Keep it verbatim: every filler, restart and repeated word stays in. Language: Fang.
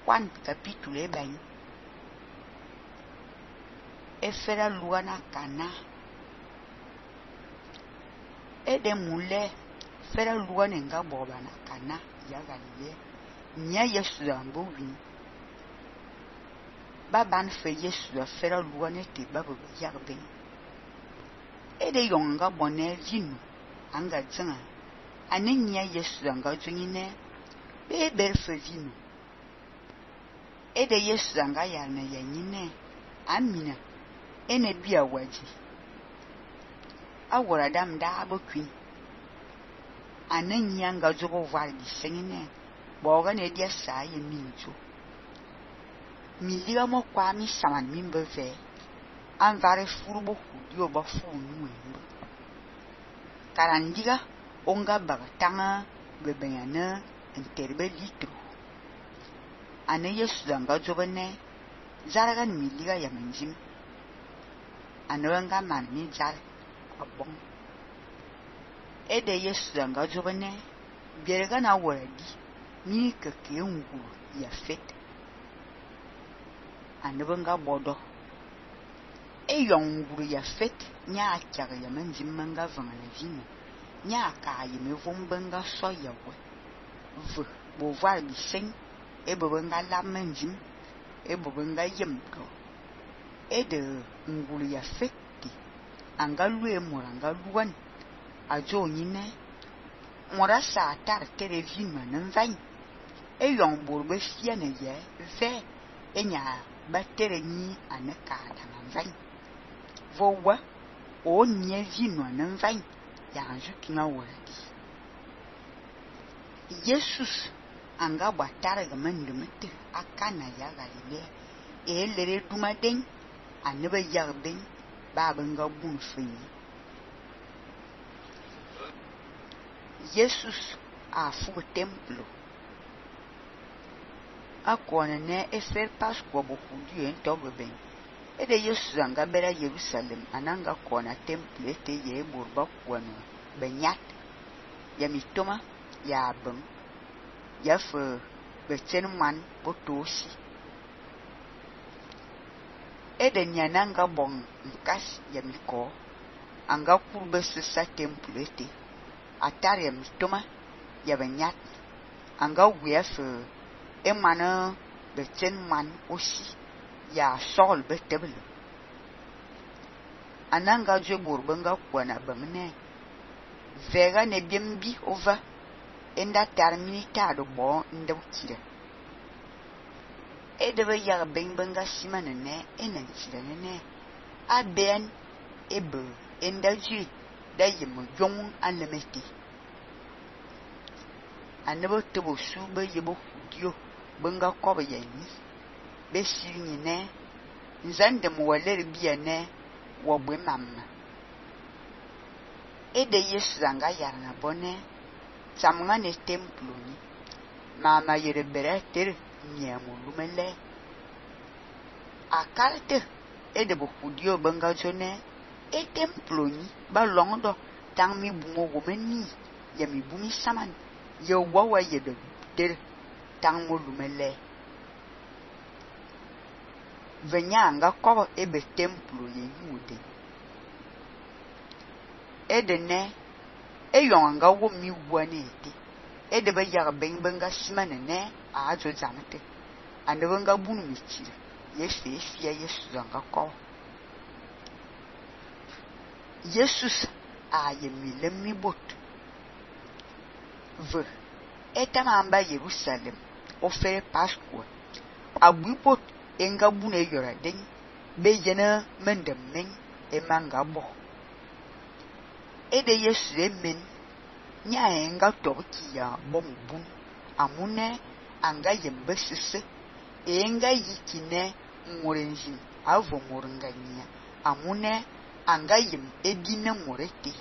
Juan capítulo bem. Efera lua na Cana. E de mulher fera lua nenga boba na Cana ya Galilea. Nya Yesu ambo win. Baban fe Yesu a fera lua ne te babu ya ben. E de yonga bonne vinu anga tsanga. Ane nya Yesu anga tsungine be ber fe vinu. E de Yesu anga ya na ya nyine amina ene bia waji. Awora dam da abokwin. Ane nya nga zogo var di sengine boga ne dia sa ye minjo. Mi liga mo kwa mi saman mi mbeve. An vare furubo hudio ba fu nuembo. Karandiga onga baga tanga bebenyana enterbe litro. Ane Yesu danga zobene zaragan mi liga ya menjim. Ane wanga man mi zar abong. Ede Yesu danga zobene bierga na waradi mi keke nguru ya fet. Ane wanga bodo. E yon nguru ya fet nya akyaga ya menjim manga vangana vino. Nya aka yeme vombenga so yawe. V bo var bi seng e bobenga la menjim e bobenga yemdo. E de nguru ya feti anga lue moranga luan ajo nyine mora sa tar tere vima nanvany e yon borbe fia ne ye ve enya batere ni anaka nanvany vowa o nye vino nanvany ya anju kinga wadi. Jesus anga batara ga mandumete akana ya Galilea e lere dumaden aneba yarben babanga bun fini. Jesus a fu templo akona ne efer Pascua bo hudio en togben. E de Jesus anga bera Jerusalem ananga kona temple ete ye burba kwano benyat ya mitoma ya bang ya fe betenman botosi. E de nyananga bong nkas ya miko anga kurbe sesa temple ete atar ya mitoma ya benyat anga wea fe emana betenman osi ya sol betebele. Ananga je burbenga kwana bamne vega ne biembi ova enda termini tado bo ndawtire. E debe ya benga simane ne enantire ne aben ebe enda ji da yemo jong anlemeti. Anebo tebo sube yebo hudio benga kobe yani be sirni ne nzande mo waler biya ne wo bwe mamma. E de Yesu zanga yarna bone samanga ne templo ni mama yere bereter nyamo lumele akalte e de bo hudio benga jone e templo ni ba longdo tang mi bungo womeni ya mi bumi saman ye wawa ye de der tang mo lumele. Venyanga kobo ebe templo ye yude. Edene e yonga wo mi wane ete. Ede be yaga ben benga simane ne a ajo zamete. Ande benga bunu michire. Yesu fia Yesu zanga ko. Jesus a ye mi lemmi bot. V etamamba Jerusalem ofere Pascua. Abu bot enga bune yora den be jena mendem men e manga bo. E de Yesu emen nya enga toki ya bom bun amune anga yembe sese enga yikine ngorenjin avo moranganya amune anga yem edine morete